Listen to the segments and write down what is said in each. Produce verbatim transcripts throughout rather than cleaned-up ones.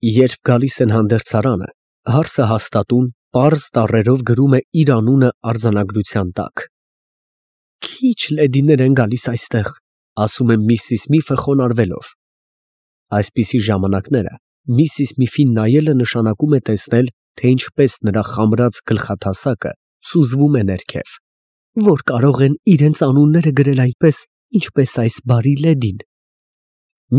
Երբ գալիս են հանդերձարանը, հարսը հաստատուն պարզ տառերով գրում է իր անունը արձանագրության տակ։ Քիչ լեդիներ են գալիս այստեղ, ասում է Միսիս Միֆը խոնարհվելով։ Այսպիսի ժամանակները Միսիս Միֆին նայելը նշանակում է տեսնել, թե ինչպես նրա խամրած գլխաթասակը սուզվում է ներքև, որ կարող են իրենց անունները գրել այնպես, ինչպես այս բարի լեդին։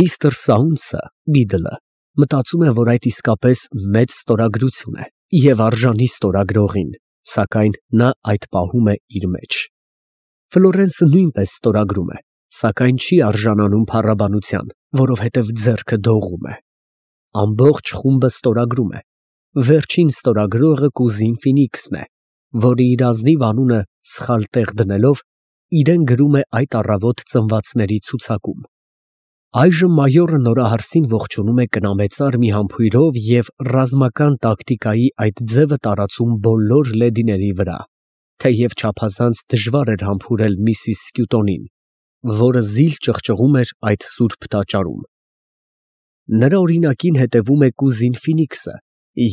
Միստր Սաունցը, Բիդլը, մտածում է, որ այդ իսկապես մեծ ստորագրություն է և արժանի ստորագրողին, սակայն նա այդ պահում է իր մեջ։ Ֆլորենսը նույնպես ստորագրում է, սակայն չի արժանանում փառաբանության, որովհետև ձեռքը դողում է։ Ամբողջ խումբը ստորագրում է։ Վերջին ստորագրողը կուզին Ֆինիքսն է, որը իր ազնիվ անունը սխալ տեղ դնելով, իրեն գրում է այդ առավոտ ծնվածների ցուցակում։ Այժմ մայորը նորահարսին ողջունում է կնամեծար մի համբույրով և ռազմական տակտիկայի այդ ձևը տարածում բոլոր լեդիների վրա, թեև չափազանց դժվար էր համբուրել Միսիս Սկյուտոնին, որը զիլ ճղճղում էր այդ սուրբ տաճարում։ Նրա օրինակին հետևում է կուզին Ֆինիքսը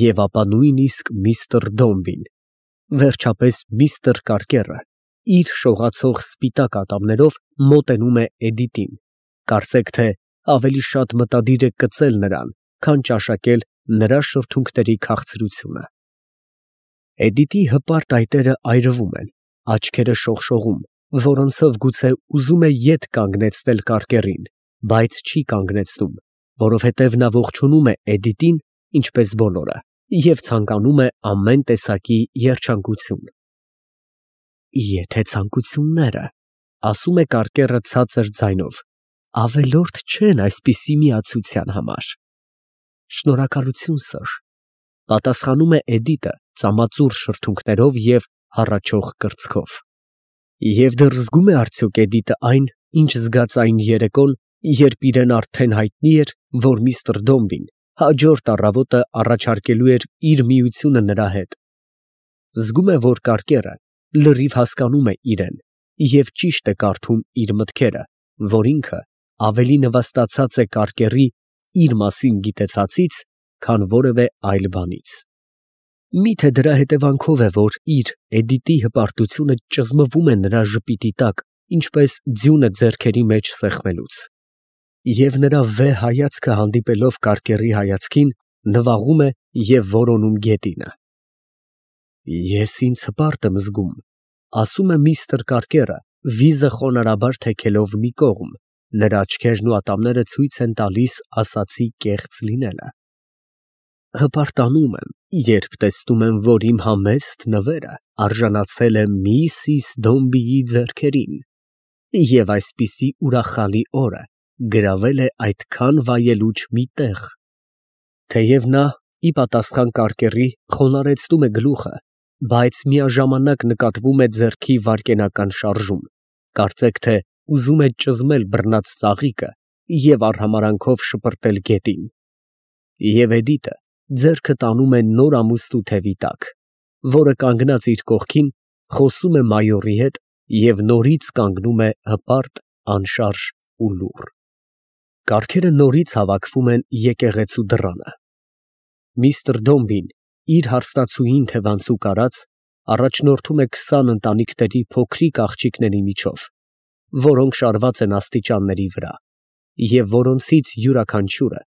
և ապա նույնիսկ միստր Դոմբին, վերջապես միստր Կարկերը իր շողացող սպիտակ ատամներով մոտենում է Էդիտին, կարծեք թե ավելի շատ մտադիր է կծել նրան, քան ճաշակել նրա շրթունքների քաղցրությունը։ Էդիտի հպարտ այտերը այրվում են, աչքերը շողշողում, որոնցով գուցե ուզում է ետ կանգնեցնել Կարկերին, բայց չի կանգնեցնում, որովհետև նա ողջունում է Էդիտին, ինչպես բոլորը, և ցանկանում է ամեն տեսակի երջանկություն։ Եթե ցանկությունները, ասում է Կարկերը ցածր ձայնով, ավելորդ չեն այսպիսի միացության համար։ Շնորհակալություն, սըր, պատասխանում է Էդիտը ծամածուր շրթունքներով և հառաչող կրծքով։ Եվ դեռ զգում է արդյոք Էդիտը այն, ինչ զգաց այն երեկոն, երբ իրեն արդեն հայտնի էր, որ միստր Դոմբին հաջորդ առավոտը առաջարկելու էր իր միությունը նրա հետ։ Զգում է, որ Կարկերը լրիվ հասկանում է իրեն և ճիշտ է կարդում իր մտքերը, որ ինքը ավելի նվաստացած է Կարկերի իր մասին գիտեցածից, քան որևէ այլ բանից։ Միթե դրա հետևանքով է, որ իր Էդիտի հպարտությունը ճզմվում է նրա ժպիտի տակ, ինչպես ձյունը ձեռքերի մեջ սեղմելուց։ Եվ նրա վեհ հայացքը հանդիպելով Կարկերի հայացքին, նվաղում է և որոնում գետինը։ Ես ինձ հպարտ եմ զգում, ասում է միստր Կարկերը, վիզը խոնարհաբար թեքելով մի կողմ, նրա աչքերն ու ատամները ցույց են տալիս ասածի կեղծ լինելը։ Հպարտանում եմ, երբ տեսնում եմ, որ իմ համեստ նվերը արժանացել է Միսիս Դոմբիի ձեռքերին, և այսպիսի ուրախալի օրը գրավել է այդքան վայելուչ մի տեղ։ Թեև նա, ի պատասխան Կարկերի, խոնարհեցնում է գլուխը, բայց միաժամանակ նկատվում է ձեռքի վայրկենական շարժում, կարծեք թե ուզում է ճզմել բռնած ծաղիկը և արհամարհանքով շպրտել գետին։ Եվ Էդիտը ձեռքը տանում է նոր ամուստու թևի տակ, որը կանգնած իր կողքին, խոսում է մայորի հետ և նորից կանգնում է հպարտ, անշարժ ու լուռ։ Կառքերը նորից հավաքվում են եկեղեցու դռանը։ Միստր Դոմբին, իր հարսնացուին թևանցուկ արած, առաջնորդում է քսան ընտանիքների փոքրիկ աղջիկների միջով, որոնք շարված են աստիճանների վրա, և որոնցից յուրաքանչյուրը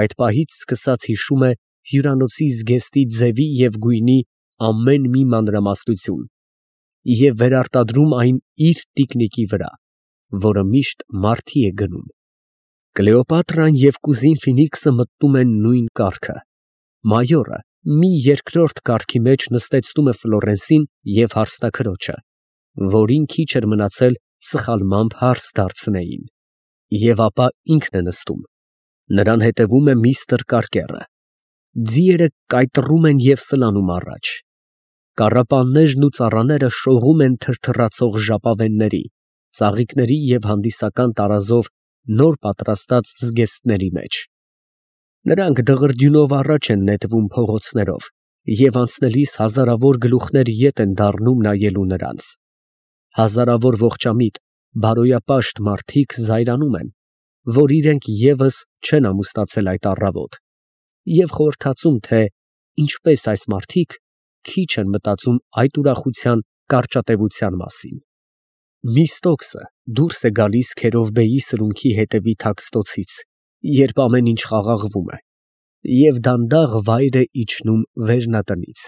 այդ պահից սկսած հիշում է հյուրանոցի զգեստի ձևի և գույնի ամեն մի մանրամասնություն և վերարտադրում այն իր տիկնիկի վրա, որը միշտ մարդի է գնում։ Կլեոպատրան և կուզին Ֆինիքսը մտնում են նույն կառքը։ Մայորը մի երկրորդ կառքի մեջ նստեցնում է Ֆլորենսին և հարսնաքրոջը, որին քիչ էր մնացել սխալմամբ հարս դարձնեին, և ապա ինքն է նստում։ Նրան հետևում է միստր Կարկերը։ Ձիերը կայտռում են և սլանում առաջ։ Կառապաններն ու ծառաները շողում են թրթռացող ժապավենների, ծաղիկների և հանդիսական տարազով նոր պատրաստած զգեստների մեջ։ Նրանք դղրդյունով առաջ են նետվում փողոցներով, և անցնելիս հազարավոր գլուխներ ետ են դառնում նայելու նրանց։ Հազարավոր ողջամիտ, բարոյապաշտ մարդիկ զայրանում են, որ իրենք ևս չեն ամուսնացել այդ առավոտ, և խորհրդածում, թե ինչպես այս մարդիկ քիչ են մտածում այդ ուրախության կարճատևության մասին։ Միսթոքսը դուրս է գալիս Քերովբեի սրունքի հետևի թաքստոցից, երբ ամեն ինչ խաղաղվում է, և դանդաղ վայր է իջնում վերնատնից։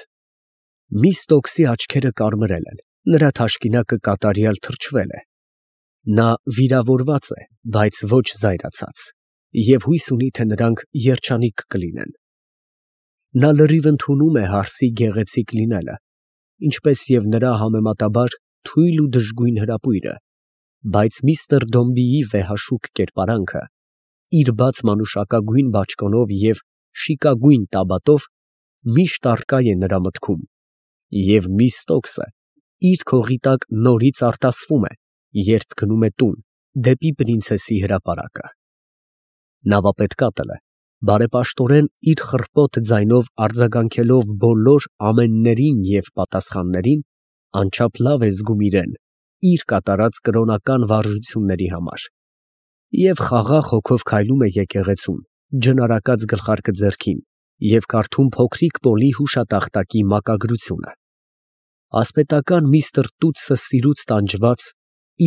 Միսթոքսի աչքերը կարմրել են, նրա թաշկինակը կատարյալ թրջվել է։ Նա վիրավորված է, բայց ոչ զայրացած, և հույս ունի, թե նրանք երջանիկ կլինեն։ Նա լրիվ ընդունում է հարսի գեղեցիկ լինելը, ինչպես և նրա համեմատաբար թույլ ու դժգույն հրապույրը, բայց միստր Դոմբիի վեհաշուկ կերպարանքը, իր բաց մանուշակագույն բաճկոնով և շիկագույն տաբատով, միշտ առկա է նրա մտքում, և Միսթոքսը իր քողի տակ նորից արտասվում է, երբ գնում է տուն, դեպի պրինցեսի հրապարակը։ Նավապետկատելը բարեպաշտորեն իր խռպոտ ձայնով արձագանքելով բոլոր ամեններին և պատասխաններին, անչափ լավ է զգում իրան իր կատարած կրոնական վարժությունների համար, և խաղաղ հոգով քայլում է եկեղեցում, ջնարակած գլխարկը ձեռքին, և կարդում փոքրիկ Պոլի հուշատախտակի մակագրությունը։ Ասպետական միստր Տուտսը սիրուց տանջված,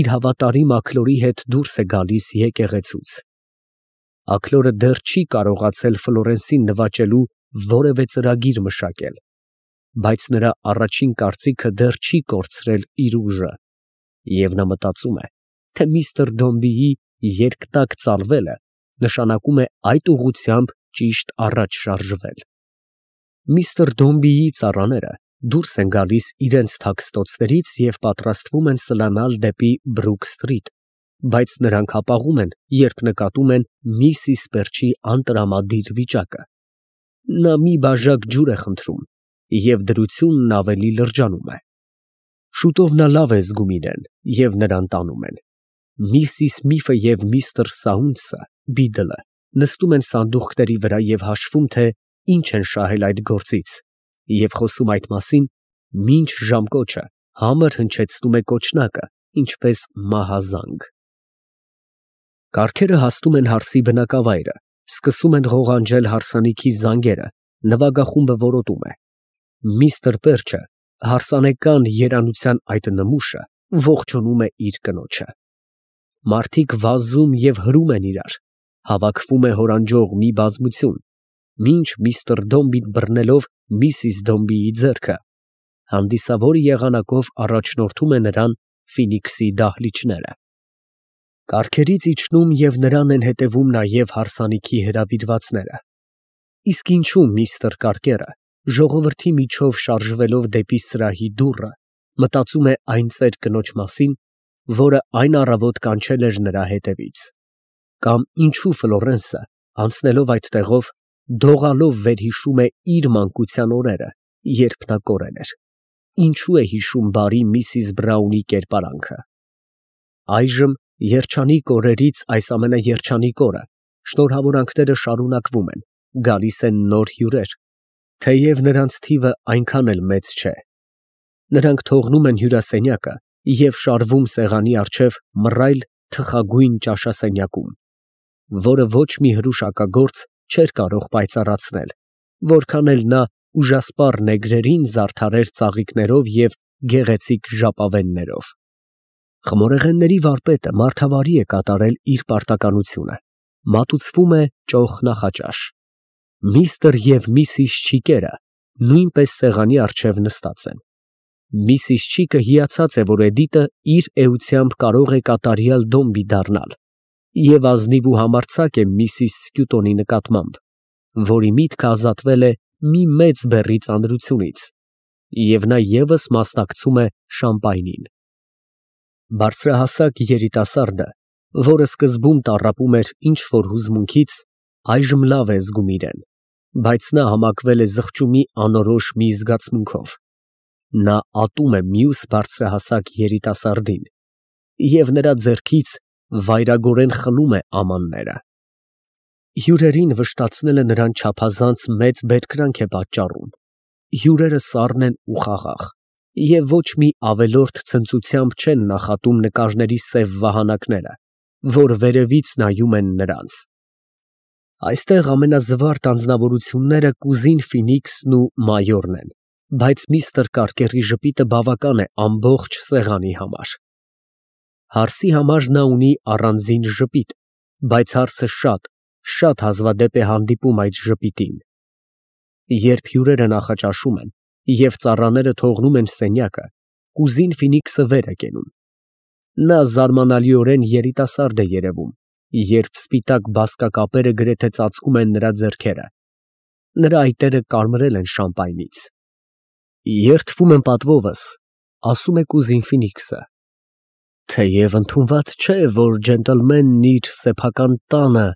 իր հավատարիմ Աքլորի հետ դուրս է գալիս եկեղեցուց։ Աքլորը դեռ չի կարողացել Ֆլորենսին նվաճելու որևէ ծրագիր մշակել, բայց նրա առաջին կարծիքը դեռ չի կորցրել իր ուժը, և նա մտածում է, թե միստր Դոմբիի երկտակ ծալվելը նշանակում է այդ ուղղությամբ ճիշտ առաջ շարժվել։ Միստր Դոմբիի ծառաները դուրս են գալիս իրենց թաքստոցներից և պատրաստվում են սլանալ դեպի Բրուք սթրիթ, բայց նրանք հապաղում են, երբ նկատում են միսիս Պերչի անտրամադիր վիճակը։ Նա մի բաժակ ջուր է խնդրում, և դրությունն ավելի լրջանում է։ Շուտով նա լավ է զգում իրան, և նրան տանում են։ Միսիս Միֆը և միստր Սաունցը (Բիդլը) նստում են սանդուղքների վրա և հաշվում, թե ինչ են շահել այդ գործից, և խոսում այդ մասին, մինչ ժամկոչը համր հնչեցնում է կոճնակը, ինչպես մահազանգ։ Կառքերը հասնում են հարսի բնակավայրը, սկսում են ղողանջել հարսանիքի զանգերը, նվագախումբը որոտում է։ Միստր Պերչը հարսանեկան երանության այդ նմուշը ողջունում է իր կնոջը։ Մարդիկ վազում և հրում են իրար, հավաքվում է հորանջող մի բազմություն, մինչ միստր Դոմբին բռնելով միսիս Դոմբիի ձեռքը, հանդիսավոր եղանակով առաջնորդում է նրան Ֆինիքսի դահլիճները։ Կառքերից իջնում և նրան են հետևում նաև հարսանիքի հրավիրվածները։ Իսկ ինչու միստր Կարկերը, ժողովրդի միջով շարժվելով դեպի սրահի դուռը, մտածում է այն ծեր կնոջ մասին, որը այն առավոտ կանչել էր նրա հետևից։ Կամ ինչու Ֆլորենսը, անցնելով այդ տեղով, դողալով վերհիշում է իր մանկության օրերը, երբ նա կորել էր։ Ինչու է հիշում բարի միսիս Բրաունի կերպարանքը։ Այժմ, երջանիկ օրերից այս ամենաերջանիկ օրը, շնորհավորանքները շարունակվում են, գալիս են նոր հյուրեր, թեև նրանց թիվը այնքան էլ մեծ չէ։ Նրանք թողնում են հյուրասենյակը և շարվում սեղանի առջև մռայլ թխագույն ճաշասենյակում, որը ոչ մի հրուշակագործ չէր կարող պայծառացնել, որքան էլ նա ուժասպառ նեգրերին զարդարեր ծաղիկներով և գեղեցիկ ժապավեններով։ Խմորեղենների վարպետը մարդավարի է կատարել իր պարտականությունը, մատուցվում է ճոխ նախաճաշ։ Միստր և միսիս Չիկերը նույնպես սեղանի առջև նստած են։ Միսիս Չիկը հիացած է, որ Էդիտը իր էությամբ կարող է կատարյալ Դոմբի դառնալ, և ազնիվ ու համարձակ է միսիս Սքյուտոնի նկատմամբ, որի միտքը ազատվել է մի մեծ բեռի ծանրությունից, և նա ևս մասնակցում է շամպայնին։ Բարձրահասակ երիտասարդը, որը սկզբում տառապում էր ինչ֊որ հուզմունքից, այժմ լավ է զգում իրան, բայց նա համակվել է զղջումի անորոշ մի զգացմունքով։ Նա ատում է մյուս բարձրահասակ երիտասարդին և նրա ձեռքից վայրագորեն խլում է ամանները։ Հյուրերին վշտացնելը նրան չափազանց մեծ բերկրանք է պատճառում։ Հյուրերը սառն են ու խաղաղ, և ոչ մի ավելորդ ցնծությամբ չեն նախատում նկարների սև վահանակները, որ վերևից նայում են նրանց։ Այստեղ ամենազվարթ անձնավորությունները կուզին Ֆինիքսն ու մայորն են, բայց միստր Կարկերի ժպիտը բավական է ամբողջ սեղանի համար։ Հարսի համար նա ունի առանձին ժպիտ, բայց հարսը շատ, շատ հազվադեպ է հանդիպում այդ ժպիտին։ Երբ հյուրերը նախաճաշում են և ծառաները թողնում են սենյակը, կուզին Ֆինիքսը վեր է կենում։ Նա զարմանալիորեն երիտասարդ է երևում, երբ սպիտակ բազկակապերը գրեթե ծածկում են նրա ձեռքերը։ Նրա այտերը կարմրել են շամպայնից։ Երդվում եմ պատվովս, ասում է կուզին Ֆինիքսը, թեև ընդունված չէ, որ ջենտլմենն իր սեփական տանը,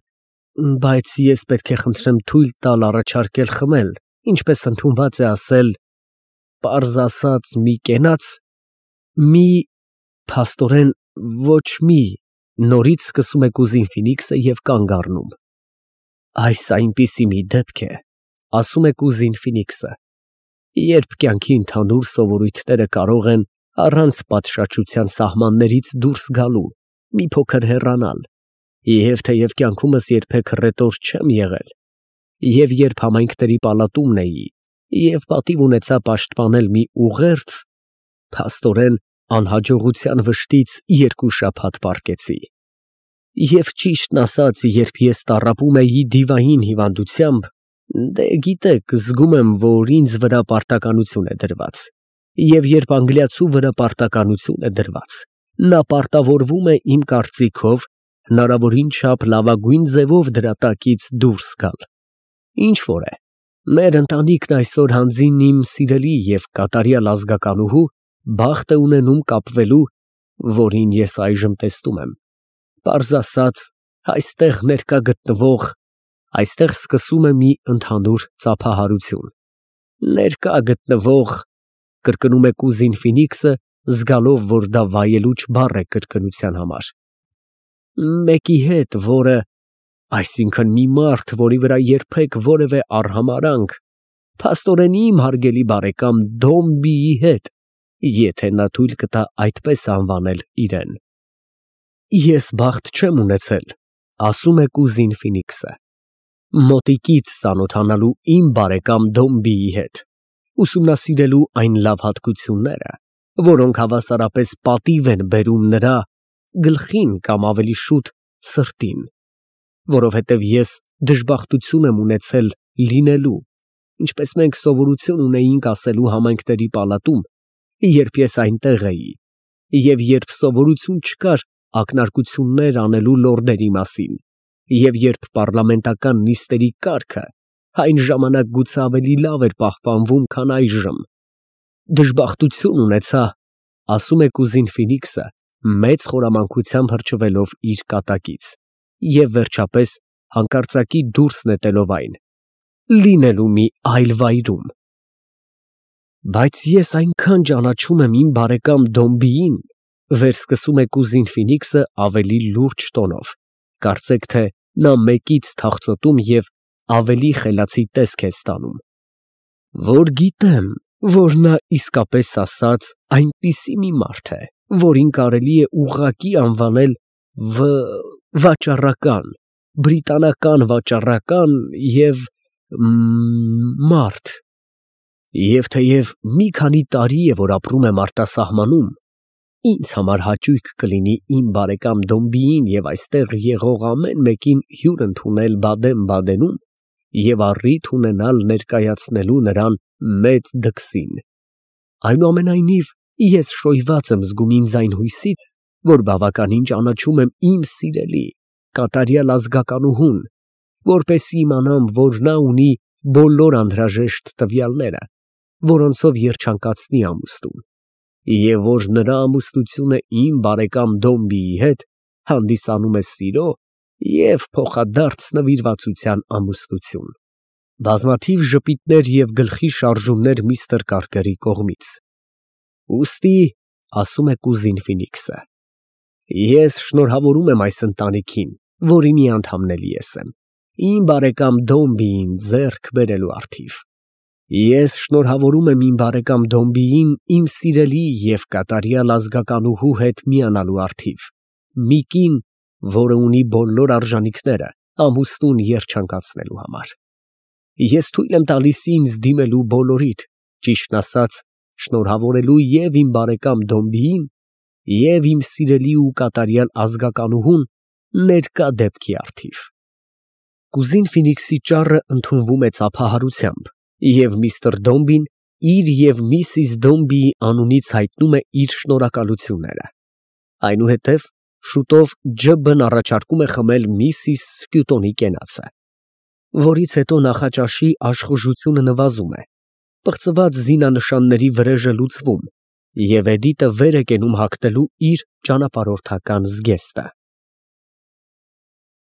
բայց ես պետք է խնդրեմ թույլ տալ առաջարկել խմել, ինչպես ընդունված է ասել, պարզ ասած, մի կենաց, մի… փաստորեն, ոչ մի… Նորից սկսում է կուզին Ֆինիքսը և կանգ առնում։ Այս այնպիսի մի դեպք է, ասում է կուզին Ֆինիքսը, երբ կյանքի ընդհանուր սովորույթները կարող են առանց պատշաճության սահմաններից դուրս գալու, մի փոքր հեռանալ, և թեև կյանքումս երբեք հռետոր չեմ եղել, և երբ համայնքների պալատումն էի, և պատիվ ունեցա պաշտպանել մի ուղերձ, փաստորեն, անհաջողության վշտից երկու շաբաթ պառկեցի։ Եվ ճիշտն ասած, երբ ես տառապում էի դիվային հիվանդությամբ, դե գիտեք, զգում եմ, որ ինձ վրա պարտականություն է դրված, և երբ անգլիացու վրա պարտականություն է դրված, նա պարտավորվում է իմ կարծիքով հնարավորին չափ լավագույն ձևով դրա տակից դուրս գալ։ Ինչ որ է, մեր ընտանիքն այսօր հանձին իմ սիրելի և կատարյալ ազգականուհու բախտ է ունենում կապվելու, որին ես այժմ տեսնում եմ, պարզ ասած, այստեղ ներկա գտնվող… Այստեղ սկսում է մի ընդհանուր ծափահարություն, ներկա գտնվող… կրկնում է կուզին Ֆինիքսը, զգալով, որ դա վայելուչ բառ է կրկնության համար, մեկի հետ, որը… այսինքն մի մարդ, որի վրա երբեք որևէ արհամարհանք… փաստորեն իմ հարգելի բարեկամ Դոմբիի հետ, եթե նա թույլ կտա այդպես անվանել իրեն։ Ես բախտ չեմ ունեցել, ասում է կուզին Ֆինիքսը, մոտիկից ծանոթանալու իմ բարեկամ Դոմբիի հետ, ուսումնասիրելու այն լավ հատկությունները, որոնք հավասարապես պատիվ են բերում նրա գլխին կամ ավելի շուտ սրտին, որովհետև ես դժբախտություն եմ ունեցել լինելու, ինչպես մենք սովորություն ունեինք ասելու համայնքների պալատում, երբ ես այնտեղ էի, և երբ սովորություն չկար ակնարկություններ անելու լորդերի մասին, և երբ պառլամենտական նիստերի կարգը այն ժամանակ գուցե ավելի լավ էր պահպանվում, քան այժմ, դժբախտություն ունեցա, ասում է կուզին Ֆինիքսը, մեծ խորամանկությամբ հրճվելով իր կատակից և, վերջապես, հանկարծակի դուրս նետելով այն, լինելու մի այլ վայրում։ Բայց ես այնքան ճանաչում եմ իմ բարեկամ Դոմբիին, վերսկսում է կուզին Ֆինիքսը ավելի լուրջ տոնով, կարծեք թե նա մեկից թախծոտում և ավելի խելացի տեսք է ստանում, որ գիտեմ, որ նա իսկապես ասած այնպիսի մի մարդ է, որին կարելի է ուղղակի անվանել վ… վաճառական, բրիտանական վաճառական և… մ… մարդ, և թեև մի քանի տարի է, որ ապրում եմ արտասահմանում, ինձ համար հաճույք կլինի իմ բարեկամ Դոմբիին և այստեղ եղող ամեն մեկին հյուր ընդունել Բադեն֊Բադենում և առիթ ունենալ ներկայացնելու նրան մեծ դքսին։ Այնուամենայնիվ, ես շոյված եմ զգում ինձ այն հույսից, որ բավականին ճանաչում եմ իմ սիրելի, կատարյալ ազգականուհուն, որպեսզի իմանամ, որ նա ունի բոլոր անհրաժեշտ տվյալները, որոնցով երջանկացնի ամուսնուն, և որ նրա ամուսնությունը իմ բարեկամ Դոմբիի հետ հանդիսանում է սիրո և փոխադարձ նվիրվածության ամուսնություն։ Բազմաթիվ ժպիտներ և գլխի շարժումներ միստր Կարկերի կողմից։ Ուստի, ասում է կուզին Ֆինիքսը, ես շնորհավորում եմ այս ընտանիքին, որի մի անդամն ես եմ, իմ բարեկամ Դոմբիին ձեռք բերելու առթիվ։ Ես շնորհավորում եմ իմ բարեկամ Դոմբիին իմ սիրելի և կատարյալ ազգականուհու հետ միանալու առթիվ, մի կին, որը ունի բոլոր արժանիքները, ամուսնուն երջանկացնելու համար։ Ես թույլ եմ տալիս ինձ դիմելու բոլորիդ, ճիշտն ասած, շնորհավորելու և իմ բարեկամ Դոմբիին, և իմ սիրելի ու կատարյալ ազգականուհուն ներկա դեպքի առթիվ։ Կուզին Ֆինիքսի ճառը ընդունվում է ծափահարությամբ, և միստր Դոմբին իր և միսիս Դոմբիի անունից հայտնում է իր շնորհակալությունները։ Այնուհետև շուտով Ջ֊ն առաջարկում է խմել միսիս Սկյուտոնի կենացը, որից հետո նախաճաշի աշխուժությունը նվազում է, պղծված զինանշանների վրեժը լուծվում, և Էդիտը վեր է կենում հագնելու իր ճանապարհորդական զգեստը։